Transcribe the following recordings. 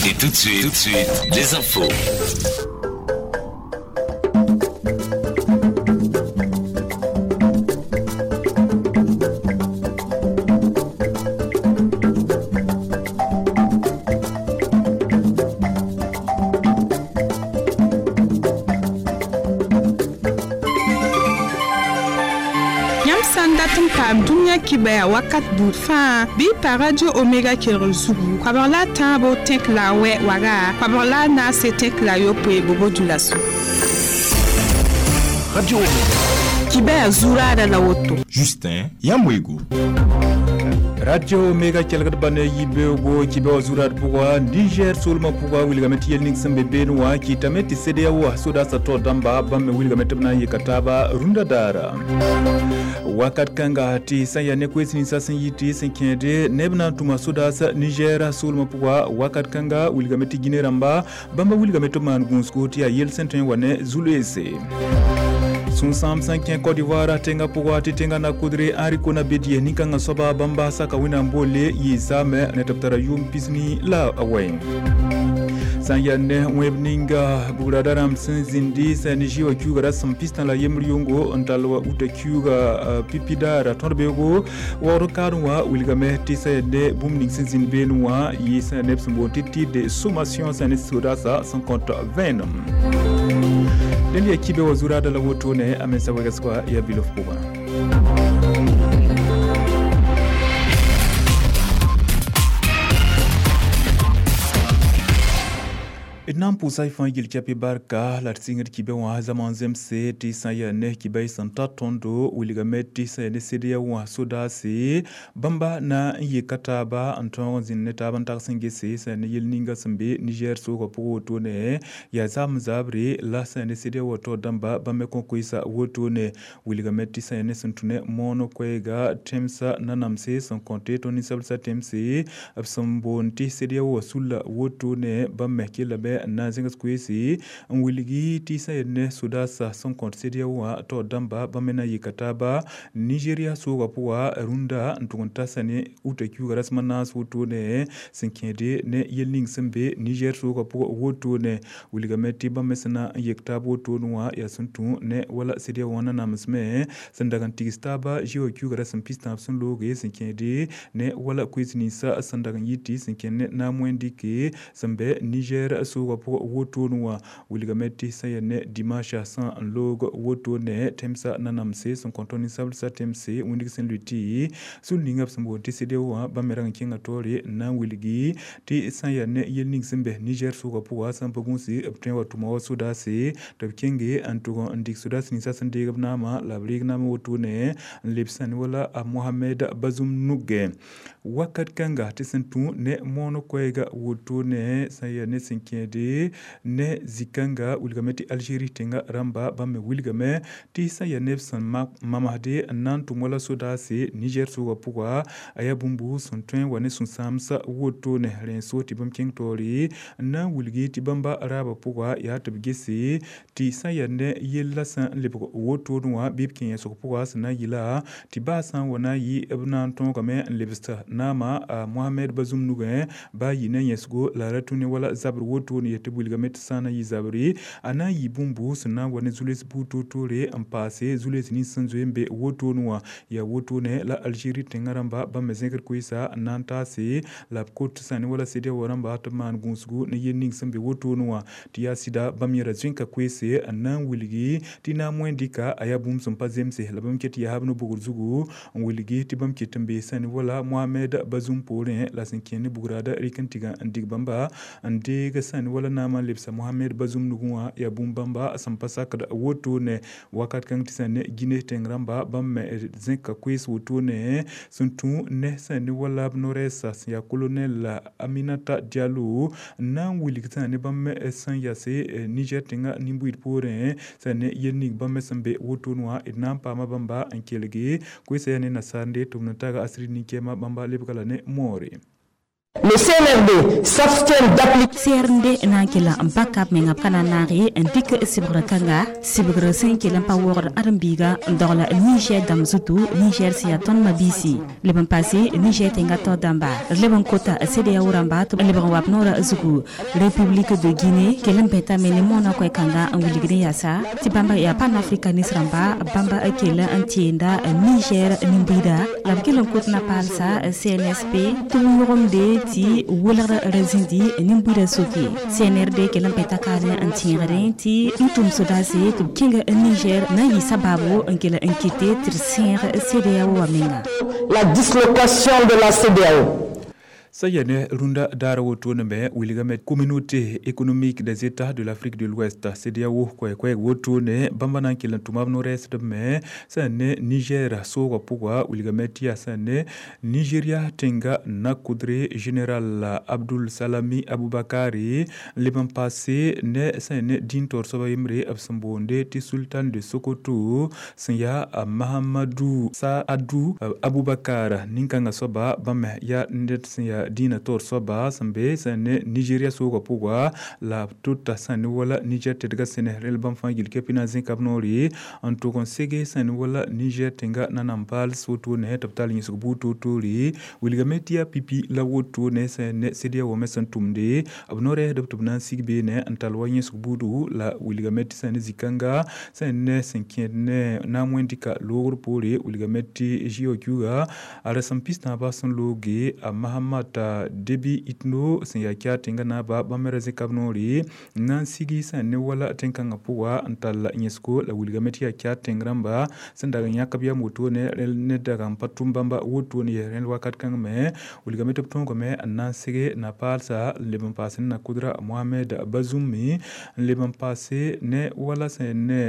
Et tout de suite, les infos. Yãmb sã n dat n paam dũniyã kibaya wakat buud fãa bɩ y pa Radio Omega kelgr zugu koabg la a tãabo tẽk la a wɛ waga koabg la a naase tẽk la a yopoe bobo dulaso. Radio Omega. Kibaya zuraada la woto. Justin Yamwego. Radio Omega kelgd ba ne yibeoogo kibɛ wã zurad pʋga Niger soolmã pʋga wilgame tɩ yel ning sẽn be beene wã kɩtame tɩ CEDEAO wã sodaasã taoor dãmba bãmb me wilgame tɩ b na n yɩka taaba rũndã daara wakat kãnga tɩ sã n yaa ne koees ninsã sẽn yɩ tɩ sẽn kẽede neb na n tʋma sodaas Niger soolmã pʋga wakat kãnga wilgame tɩ Guinée rãmba bãmba wilgame tɩ b maan gũusgo tɩ yaa yel sẽn tõe n wa ne zu-loeese sũ-sãam sẽn kẽ Côte d'Ivoire tẽngã pʋga tɩ tẽngã na-kʋdre Henri Konan Bédié nin-kãngã soaba bãmba saka wẽnnaam boole yɩɩ ne tɩ b tara yʋʋm pisni la a wɛ sã n yaa ne wẽb ninga bugrada rãmb sẽn zĩndi sã ne zĩ wã kiuugã rasem pistã la yembr yʋngo n tall wa uta kiuugã pipi daara tõd beoogo waood kaadẽ wã wilgame tɩ sã yaa ne bũmb ning sẽn zĩnd beene wã yɩ sã yaa neb sẽn boond tɩ tir de sommation sã ne sodaasã sẽn kõt vẽenem dẽnd yaa kibe wa zuraada la wotone a mensa wegsgã yaa bilof pʋgã. D na n pʋʋsa y fãa yel kɛpɩ barka la d sɩngd kibɛ wã zãma n zemse tɩ sã n yaa ne kibɛ y sẽn ta tõndo wilgame tɩ sã yaa ne CEDEAO wã sodaase bãmba na n yeka taaba n tõog n zĩnd ne taab n tags n gese sã yaa ne yel ninga sẽn be Niger soogã pʋgẽ wotone yaa zaam zabre la sã yaa ne CEDEAO wã taoor dãmba bãmb me kõ koeesa wotone wilgame tɩ sã yaa ne sẽn tũ ne moon koɛɛga tẽmsã nanamse sẽn kõte tõnd ninsablsã tẽmse b sẽn boond tɩ CEDEAO wã sulla wotone bãmb me kellame n na n zẽgs koeese n wilgi tɩ sã yaa ne sodaasã sẽn kõt CEDEAO wã taoor dãmba bãmb me na n yika taaba Nigeria soogã pʋga rũndã n tʋg n ta sã ne uta kiuugã rasem a naas wotone sẽn kẽede ne yel ning sẽn be Niger soogã pʋgã wotone wilgame tɩ bãmb me sẽn na n yek taab wotone wã yaa sẽn tũ ne wala CEDEAO wã nanamsme sẽn dag n tigs taaba zĩ wã kiuugã rasem pistãab sẽn looge sẽn kẽede ne wala koees ninsã sẽn dag n yɩ tɩ sẽn kẽnd ne naam wẽn-dɩke sẽn bɛ Niger soogã pʋgã wotone wã wilgame tɩ sã yaa ne dimanche sã n loog wotone tẽmsã nanamse sẽn kõ tõnd ninsablsã tẽmse wĩndg sẽn lʋɩ tɩ sul ninga b sẽn boond tɩ CEDEAO wã bãmb me rag n kẽnga taoore n na n wilgi tɩ sã n yaa ne yel ning sẽn bɛ Niger soogã pʋga sã n pa gũusi b tõe n wa tʋma wa sodaase tɩ b kẽnge n tʋg n dɩk sodaas ninsã sẽn deeg b naamã la b reeg naam wotone n leb sã ne wala a Mohamed Bazoum nugẽ wakat kãnga tɩ sẽn tũ ne moon koɛɛga wotone sã n yaa ne sẽn kẽede ne zĩ-kãnga wilgame tɩ Algérie tẽngã rãmba bãmb me wilgame tɩ sã n yaa neb sẽn mamsde n na n tʋm wala sodaase Niger soogã pʋga a yaa bũmb sẽn tõe n wa ne sũ-sãamsã wotone rẽ n so tɩ bãmb kẽng taoore n na n wilgi tɩ bãmba raabã pʋga yaa tɩ b gese tɩ sã n yaa ne yella sẽn lebg wotone wã bɩ b kẽ yẽsg pʋga sẽn na n yɩla tɩ baa sã n wa na n yɩ b na n tõogame n lebs naama a Mohamed Bazoum nugẽ baa yɩ ne yẽsgo la ra tũ ne wala zabr wotone yetɩ b wilgame tɩ sã n na n yɩ zabre a na n yɩ bũmb sẽn na n wa ne zu-loees buud toor-toore n paase zu-loees nins sẽn zoe n be wotone wã yaa wotone la Algérie tẽngã rãmba bãmb me zẽkd koeesa n na n taase la b kot sã ne wala CEDEAO wã rãmba tɩ b maan gũusgu ne yel ning sẽn be wotone wã tɩ yaa sɩda bãmb yẽra zẽnka koeese n na n wilgi tɩ naam wẽn-dɩka a yaa bũmb sẽn pa zemse la bãmb ket yaa b no-bogr zugu n wilgi tɩ bãmb ket n bee sã ne wala Mohamed Bazoum poorẽ la sẽn kẽ ne bugraada rɩk n tɩga n dig bãmba n deeg sã ne wala naamã n lebsa Mohamed Bazoum nugẽ wã yaa bũmb bãmba sẽn pa sakd wotone wakat kãng tɩ sã ne Guinée tẽng rãmba bãmb me zẽka koees wotone sẽn tũ ne sã ne wala b no-rɛɛsa sẽn yaa colonel Aminata Diallo n na n wilg sã ne bãmb me sẽn yase Niger tẽngã nin-buiid poorẽ sã ne yel ning bãmb me sẽn be wotone wã d na n paama bãmba n kelge koeesã yaa ne nasaar tɩ b na taga asiri nin-kɛɛma bãmba lebga la ne moore. Le CNRD s'abstient d'appliquer. CRD na n kell n pa kab menga b ka na n naag ye n dɩk sɩbgr kãnga sɩbgr sẽn kell n pa waoogd ãdem-biiga n dogla Niger dãmb zutu Niger sẽn yaa tõnd mabiisi leb n paase Niger tẽngã tao dãmba leb n kota CEDEAO rãmba tɩ b lebg n wa b noorã zugu. République de Guinée kell n bɛtame ne moonã koɛ-kãnga n wilgd n yaasa tɩ bãmba yaa panafricaniste rãmba bãmba kell n tẽenda Niger nin-buiida la b kell n kot na paalsa CNSP tɩ b yõgemde tɩ welgr ra zĩndi nin-buiidã soke. CNRD kell n pɛta kaane n tẽegdẽ tɩ n tʋm sodaase tɩ b kẽnga Niger na n yɩ sabaabo n kell n kɩte tɩ d sẽeg CEDEAO wã menga. La dislocation de la CEDEAO. Sã yaa ne rũndã daar wotone me wilgame Communauté économique des États de l'Afrique de l'Ouest CEDEAO koɛɛ-koɛɛg wotone bãmba na n kell n tʋma b no-rɛɛsdb me sã ne Niger soogã pʋga wilgame tɩ yaa sã ne Nigeria tẽnga na-kʋdre général Abdul Salami Aboubakari leb n paase ne sã ne dĩin taoor soaba yembre b sẽn boonde tɩ Sultan de Sokoto sẽn yaa Mahamadou Saadou Aboubakar nin-kãngã soaba bãmb me yaa ned sẽn yaa dĩinã taoor soaba sẽn be sẽn ne Nigeria soogã pʋga la b tota sã ne wala Niger tedgã sẽne rẽl bãmb fãa gill kɛpɩ na n zẽka b noore n tʋg n sege sẽn ne wala Niger tẽnga nanam paals wotone tɩ b tall yẽsg buud toor-toore wilgame tɩ yaa pipi la wotone sẽn ne CEDEAO me sẽn tʋmde b no-rɛɛsdb tɩ b na n sig beene n tall wa yẽsg buudu la wilgame tɩ sẽn ne zĩ-kãnga sẽn ne sẽn kẽed ne naam wẽnd-dɩka loogr poore wilgame tɩ GOQ-ga a rasem pis-tãabã sẽn looge a Mahamat Debi Itno sẽn yaa Tchad tẽngã naaba bãmb me ra zẽka b noore n na n sigi sẽn ne wala tẽn-kãngã pʋga n tall yẽsgo la wilgame tɩ yaa Tchad tẽng rãmba sẽn dag n yãk b yam wotone ne dag n pa tʋm bãmba wotone yaa rẽnd wakat kãng me wilgame tɩ b tõogame n na n sege na paalsa n leb n paas ne na-kʋdra Mohamed Bazoum n leb n paase ne wala sẽn ne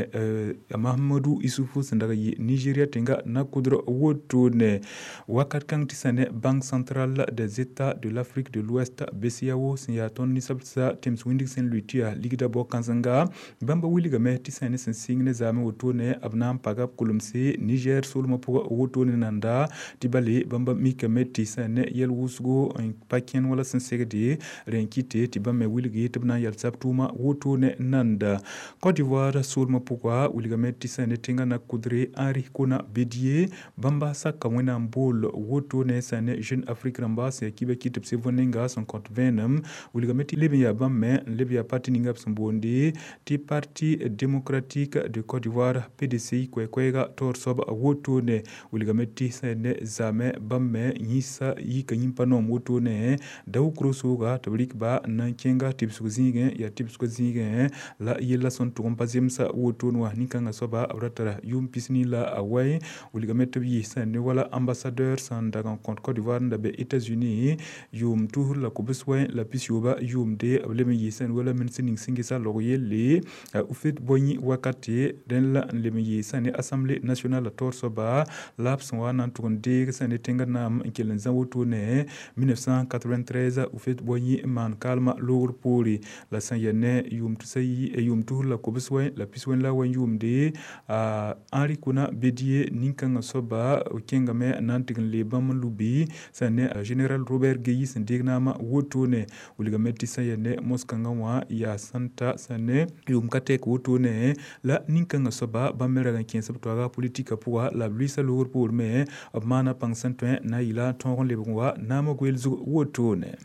Mahamadou Issoufou sẽn dag n yɩ Nigeria tẽnga na-kʋdr wotone wakat kãng tɩ sẽn ne Banque centrale des États de l'Afrique de l'Ouest BCEAO sẽn yaa tõnd ninsabsa tẽms wĩndg sẽn lʋɩ tɩ yaa ligda bao-kãsenga bãmba wilgame tɩ sẽn ne sẽn sɩng ne zaamẽ wotone b na n paga b kulemse Niger soolmã pʋgã wotone nanda tɩ bale bãmba mikame tɩ sẽn ne yɛl wʋsgo n pa kẽn wala sẽn segde rẽ n kɩte tɩ bãmb me wilgi tɩ b na n yalsa b tʋʋma wotone nanda. Côte d'Ivoire soolmã pʋga wilgame tɩ sẽn ne tẽngã na-kʋdre Henri Konan Bédié bãmba saka wẽnnaam bool wotone sẽn ne Jeune Afrique rãmba sẽn yaa kiba kɩ tɩ b se võn-nenga sẽn kõt vẽenem wilgame tɩ leb n yaa bãmb me n leb yaa parti ninga b sẽn boonde tɩ Parti démocratique de Côte d'Ivoire PDCI koɛɛ-koɛɛga taoor soab wotone wilgame tɩ sẽn ne zaamẽ bãmb me yĩsa yika yĩmpa noom wotone Daoukro sooga tɩ b rɩk ba n na n kẽnga tɩbsg zĩigẽ yaa tɩbsgã zĩigẽ la yella sẽn tʋg n pa zemsa wotone wã nin-kãngã soaba b ra tara yʋʋm pisni la a wɛ wilgame tɩ b yɩ sẽn ne wala ambassadeur sẽn dag n kõt Côte d'Ivoire n da be États-Unis yʋʋm tusr la kobs wɛ la pis-yooba yʋʋmde b leb n yɩ sẽn wala ministr ning sẽn gesa log yelle Houphouët-Boigny wakate rẽnd la n leb n yɩ sẽn ne Assemblée nationale taoor soaba la b sẽn wa na n tʋg n deeg sẽn ne tẽngã naam n kell n zã wotone 1993 Houphouët-Boigny n maan kaalmã loogr poore la sẽn yaa ne yʋʋm tusr la kobs wɛ la pis-wẽn la wɛ yʋʋmde Henri Konan Bédié nin-kãngã soaba kẽngame n na n tɩg n leeb bãmb n lubi sẽn ne général Robert Guéï sẽn deeg naamã wotone wilgame tɩ sẽn yaa ne mos-kãngã wã yaa sẽn ta sẽn ne yʋʋm ka tɛk wotone la nin-kãngã soaba bãmb me rag n kẽes b toaga politika pʋga la b lʋɩɩsa loogr poor me b maana pãng sẽn tõe n na n yɩla tõog n lebg n wa naamã goeel zug wotone.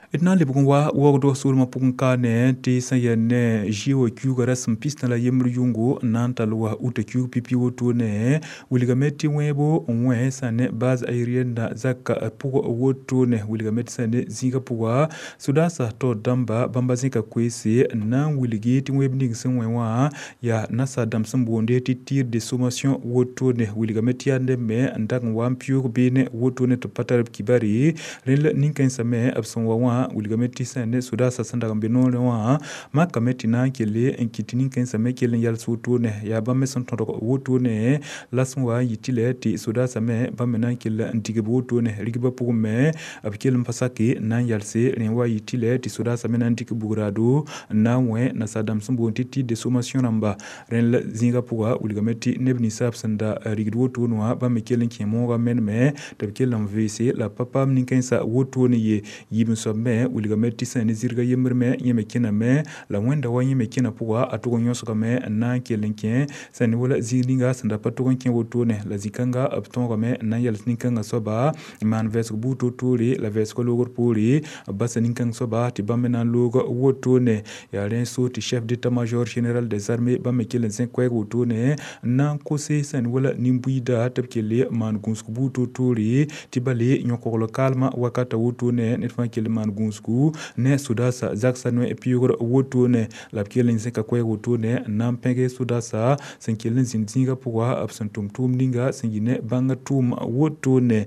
D na n lebg n wa waoogdg soolmã pʋgẽ kaane tɩ sẽn yaa ne GOQ rasem pistã la yembr yʋngo n na n tall wa uta kiug pipi wotone wilgame tɩ wẽebo n wẽ sẽn ne base aérienne zaka pʋgã wotone wilgame tɩ sẽn ne zĩigã pʋga sodaasã taoor dãmba bãmba zẽka koeese n na n wilgi tɩ wẽeb ning sẽn wẽ wã yaa nasa dãmb sẽn boonde tɩ tir de sommation wotone wilgame tɩ yaa neb me n dag n wa n pɩʋʋg beene wotone tɩ b pa tar b kibare rẽnd la nin-kãensã me b sẽn wa wã wã wilgame tɩ sã ne sodaasã sẽn dag n be noorẽ wã makame tɩ na n kelle n kɩt tɩ nin-kãensã me kell n yals wotone yaa bãmb me sẽn tõdg wotone la sẽn wa n yɩ tɩ lɛ tɩ sodaasã me bãmb me na n kell n dig b wotone rigbã pʋgẽ me b kell n pa sake n na n yalse rẽ wa yɩ tɩ lɛ tɩ sodaasã me na n dɩk bugraado n na n wẽ nasaar-dãmb sẽn boond tɩ titre de sommation rãmba rẽnd la zĩigã pʋga wilgame tɩ neb ninsab sẽn da rigd wotone wã bãmb me kell n kẽ moogã meneme tɩ b kell n veese la pa paam nin-kãensã wotone ye yiib n soab me wilgame tɩ sã ne zirga yembr me yẽ me kẽname la wẽnda wa yẽ me kẽna pʋga a tʋg n yõsgame n na n kell n kẽ sã ne wala zĩig ninga sẽn da pa tʋg n kẽ wotone la zĩ-kãnga b tõogame n na n yals nin-kãngã soaba n maan vɛɛsg buud toor-toore la vɛɛsgã loogr poore b basa nin-kãng soaba tɩ bãmb me na n loog wotone yaa rẽ so tɩ chef d'état-major général des armées bãmb me kell n zẽk koɛɛg wotone n na n kose sã ne wala nin-buiida tɩ b kelle maan gũusg buud toor-toore tɩ ba le yõ-kogl kaalmã wakata wotone ned fãa kell n maan gũusgu ne sodaasã zagsã noe pɩʋʋgr wotone la b kell n zẽka koɛɛg wotone n na n pẽge sodaasã sẽn kell n zĩnd zĩigã pʋga b sẽn tʋm tʋʋm ninga sẽn yɩ ne bãngã tʋʋm wotone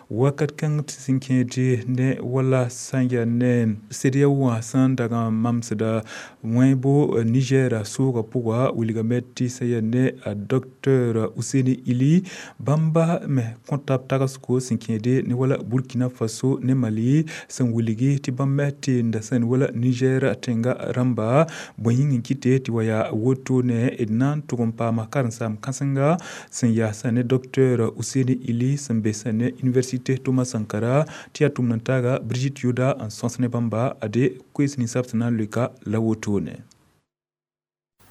wakat kãng tɩ sẽn kẽede ne wala sã n yaa ne CEDEAO wã sẽn dag n mamsda wẽebo Niger soogã pʋga wilgame tɩ sã yaa ne a docteur Ousseini Ili bãmba me kõta b tagsgo sẽn kẽede ne wala Burkina Faso ne Mali sẽn wilgi tɩ bãmb me tenda sã ne wala Niger tẽnga rãmba bõe yĩng n kɩte tɩ wa yaa wotone d na n tʋg n paama karen-saam kãsenga sẽn yaa sã ne docteur Ousseini Ili sẽn be sã ne Université Thomas Sankara tɩ yaa tʋmd n taaga Brigitte Yoda n sõs ne bãmba ade koees ninsab sẽn na n loeka la wotone.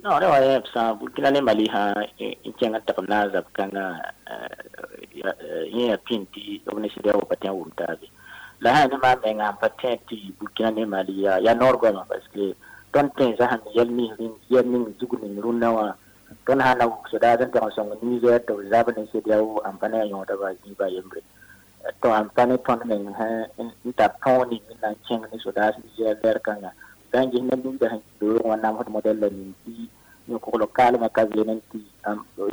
Non, ne wa sã Burkina ne Mali sã n kẽng n tag n na n zab kãngã yẽ yaa pĩnd tɩ b ne CEDEAO pa tẽ n wʋm taabe la sã ne maa menga n pa tẽ tɩ Burkina ne Mali yaa noor goama parce que tõnd tẽnsã sẽn yɛl ning zug ning rũnnã wã tõnd sã na wuk sodaas n teg n sõng Niger tɩ b zab ne CEDEAO n pa ne a yõoda ba zĩiba yembre to n pa ne tõnd meng n tar tõog ning n na n kẽng ne sodaas Niger lɛr kãngã sã n ges neb ninga sẽn beoog wã namsd modɛl la ning tɩ yõ-kogl kaalmã ka veen n tɩ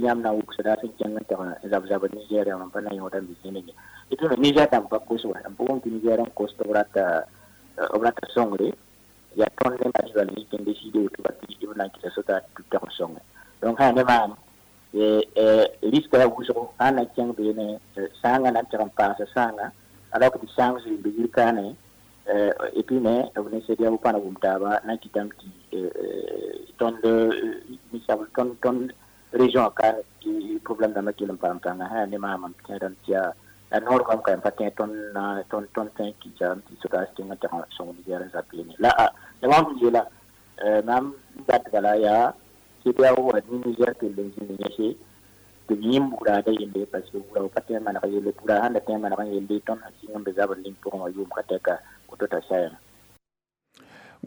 yãmb na n wuk sodaas n kẽng n teg n zab-zabd Niger n pa na yõoda n be zĩne ye tɩ me Niger dãmb pa kos wa n pa wʋm tɩ Niger n kos tɩ b rata sõngre yaa tõnd ne Mali bala yik n deside woto ba tɩ b na n kɩta sodaas tɩ b teg n sõnge donc sã ne maam risque yaa wʋsgo sã n na kẽng beene sãangã na n teg n paasa sãangã alors que tɩ sãang zoe n be yir kaane et puis me b ne CEDEAO pa na wʋm taaba na n kɩtame tɩ tõnd ninsab tõnd région ka problème dãmbã kell n paam pãnga sã ne maam m tẽedame tɩ yaa la noor goam ka pa tẽ tõnd tõe n kɩtame tɩ sodaas kẽng n teg n sõng Niger n zab beene la la mam sẽn yeela mam dat bala yaa CEDEAO wa ne Niger kell n zĩnd yẽse tɩ b yẽm bugraada yelle parce que bugra pa tẽ n maneg yelle bugra sãn da tẽ n maneg n yelle tõnd sẽn sɩng n be zabr ning pʋgẽ wã yʋʋm ka tɛka woto t'a sayame.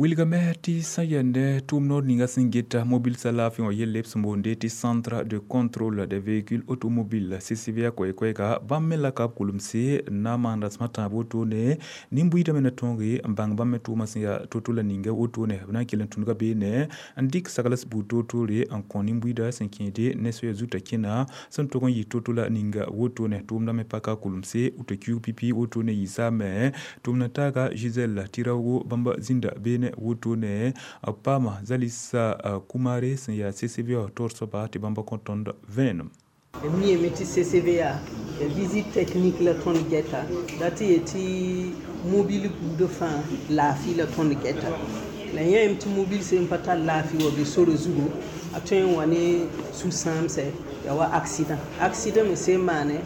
Wilgame tɩ sã yaa ne tʋʋm noor ninga sẽn geta mobil sã laafɩ wã yelle b sẽn boonde tɩ Centre de contrôle des véhicules automobiles CCVA koɛɛ-koɛɛga bãmb me la ka b kulemse n na n maan rasem a tãab wotone nin-buiidã me na tõoge n bãng bãmb me tʋʋmã sẽn yaa to-to la ninga wotone b na n kell n tũnuga beene n dɩk sagls buud toor-toore n kõ nin-buiidã sẽn kẽede ne soaya zuta kẽna sẽn tʋg n yɩ to-to la ninga wotone tʋʋmdã me paka kulemse woto kiuug pipi wotone yɩ saame tʋʋmd n taaga Gisèle Tiraogo bãmb zĩnda beene wotone paama Zalisa Kumare sẽn yaa CCVA taoor soaba tɩ bãmba kõ tõnd vẽenem. Mi tɩ CCVA ya visite technique la tõnd gɛta la tɩ ye tɩ mobile buudã fãa laafɩ la tõnd gɛta la yãem tɩ mobile sẽn pa tar laafɩ wa be sore zugu a tõe n wa ne sũ-sãamsɛ ya wa accident accident me sẽn maane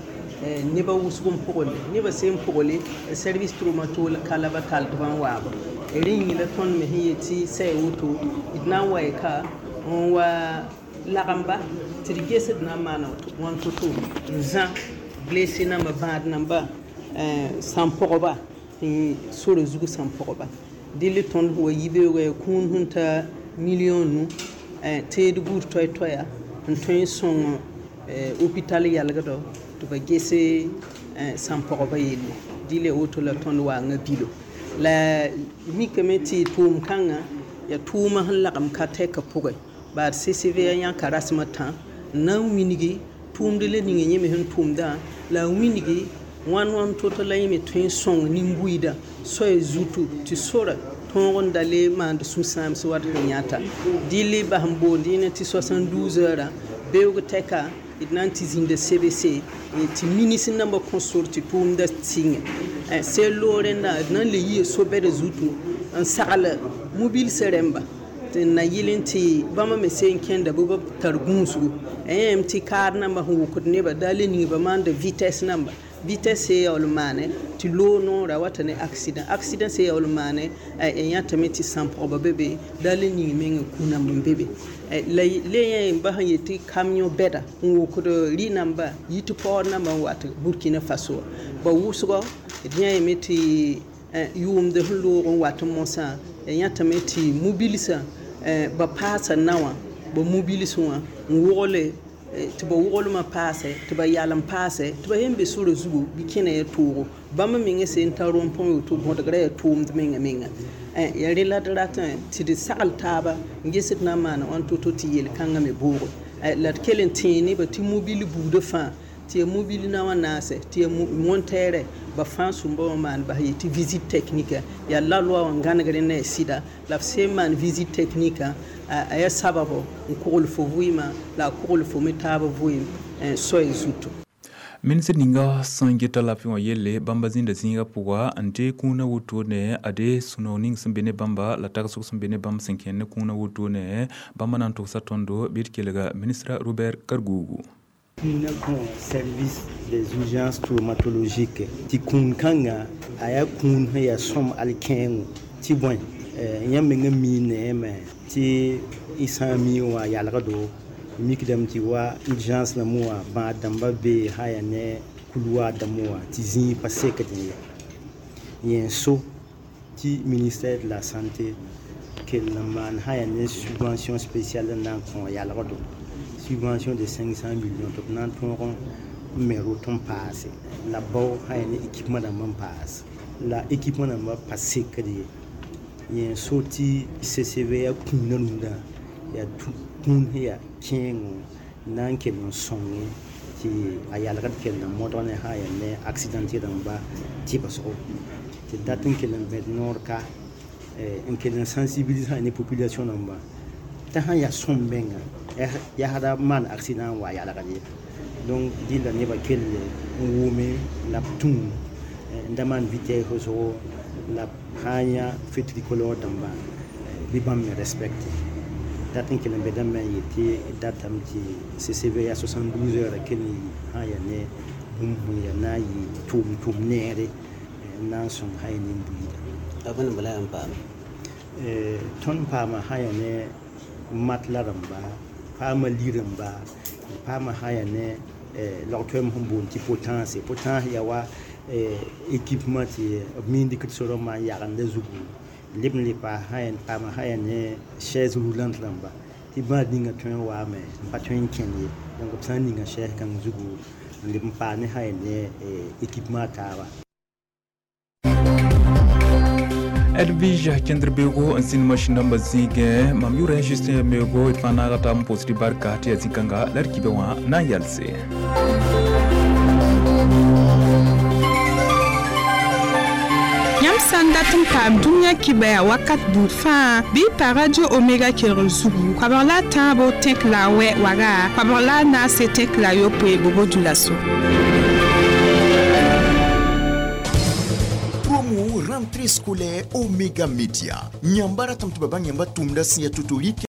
nebã wʋsg n pʋgl nebã sẽn pʋgle service traumatologie la ba tall tɩ b n waaba rẽ yĩng la tõnd me sẽn yet tɩ sɛ woto d na n wa y ka n wa lagemba tɩ d ges d na n maana wãn to-to n zã blessé namba bãad namba sãn-pʋgba tɩ sore zug sãn-pʋgba dɩl tõnd wa yibeoogã kũun sẽn ta million nu teed buud toɛ-toɛya n tõe n sõng hôpital yalgdɔ tɩ ba gese sãn-pʋgba yelle dɩl ya woto la tõnd waanga bilo la mikame tɩ tʋʋm kãngã yaa tʋʋmã sẽn lagem ka tɛka pʋgẽ baad CCVA yãka rasem a tã n na n wilgi tʋʋmd la ninga yẽ me sẽn tʋmdã la a wilgi Wãn wãn to-to la yẽ me tõe n sõng nin-buiidã soay zutu tɩ sora tõog n da le maand sũ-sãams wat sẽn yãta. Dɩl bas n boond yẽne tɩ 72 heures beoog tɛka d na n tɩ zĩnda CBC tɩ minis nambã kõ sor tɩ tʋʋmdã sɩngẽ. Sel loog rẽndã d na n le yia so-bɛda zutu n sagl mobilsã rẽmba tɩ n na yɩl n tɩ bãmba me seen kẽnda bɩ b tar gũusgu. Yẽm tɩ kaar nambã sẽn wʋkd nebã daa le ning ba maanda vitesse namba. Vitesse se yaool n maane tɩ loog noora wata ne accident. Accident se yaool n maane yãtame tɩ sãn-pʋgba be be daa le ning meng kũ namb n be be. La le yẽ ba sẽn yet tɩ camion bɛda n wʋkd rɩ-namba yit paood namba n wat Burkina Faso. Ba wʋsgɔ d yã yeme tɩ yʋʋmd sẽn loog n wat mosã yãtame tɩ mobilsã ba paasa na wã ba mobilsẽ wã n wogle tɩ ba woglmã paase tɩ ba yalem paase tɩ ba yẽn be sora zugu bɩ kẽna ya toogo. Bãmb mengã sẽn tar rõmpẽ woto bõdgrã yaa tʋʋmd menga menga. Yaa rẽ la d ratẽ tɩ d sagl taaba n ges d na n maana wãn to-to tɩ yel-kãngã me boogo. La d kell n tẽe nebã tɩ mobil buudã fãa tɩ yaa mobil na wã naase tɩ yaa montɛɛrɛ ba fãa sũmba wã maan bas yetɩ tɩ visite technique yaa la loi wã gãnegr ne a sɩda la b sẽn maan visite technique a yaa sababo n kogl fo vɩɩmã la a kogl fo me taab vɩɩm soay zutu. Ministr ninga sẽn geta laafɩ wã yelle bãmba zĩnda zĩiga pʋga n dee kũunã wotone a de sũ-noog ning sẽn be ne bãmba la tagsg sẽn be ne bãmb sẽn kẽnd ne kũunã wotone bãmba na n togsa tõndo bɩ d kelga ministra Robert Kargougou. Kũunã kõ service des urgences traumatologiques tɩ kũun kãnga a yaa kũun sẽn yaa sõm alkẽengo tɩ bõe yãmb mengã mii neeme tɩ y sã n mii wã yalgdo mikdame tɩ wa urgence rãmb wã bãad dãmbã bee sã yaa ne couloir dãmb wã tɩ zĩig pa sekd ye. Yẽ so tɩ ministère de la santé kell n maan sã yaa ne subvention spéciale n na n kõ yalgdo subvention de 500 millions tɩ b na n tõog n me rot n paase la bao sã yaa ne équipement dãmb n paas la équipement dãmbã pa sekd ye. Yẽ so tɩ CCV yaa kũunã rũndã yaa kũun sẽn yaa kẽengo na n kell n sõnge tɩ a yalgd kell n modg ne sã yaa ne accidenté rãmba tɩbsgo tɩ dat n kell n vẽd noor ka n kell n sensibilise ne population rãmba t'a sãn yaa sõm menga yaa da maan accident n wa yalgd ye. Donc dɩlla nebã kell n wʋme la b tũu n da maan vitesse wʋsgo la b sã n yã feu tricolore dãmba bɩ bãmb me respecte. Dat n kell n bedame n yetɩ datame tɩ CCV yaa 72 heures kell n yi sã n yaa ne bũmb sẽn yaa na n yɩ tʋʋm neere n na n sõng sã n yaa nin-buiidã. B bõe la yãmb paama? Tõnd paama sã n yaa ne matla rãmba, paama li-rãmba, paama sã n yaa ne log-toɛɛm sẽn boond tɩ potence. Potence yaa wa équipement tɩ b miin dɩkd sorã n maan yagenda zugu leb n le paas sã n paama sã yaa ne chaise roulante rãmba tɩ bãad ninga tõe n waame n pa tõe n kẽnd ye. Donc b sã n ninga chaise kãng zugu n leb n paas ne sã n yaa ne équipement taaba. Edwige kẽndr beoogo n sĩnd masĩn dãmbã zĩigẽ mam yʋʋra Justin Yameogo d fãa naaga taab n pʋʋsd barka tɩ yaa zĩ-kãnga la d kibã wã na n yalse. Yãmb sã n dat n paam dũniyã kibã yaa wakat buud fãa bɩ pa radio Omega kelgr zugu koabg la a tãabo tẽk la a wɛ waga koabg la a naase tẽk la a yopoe bobo dũlaso. Promo rentrée scolaire Omega Media. Nyambara tamtu baba nyamba tumda siya tutoriki.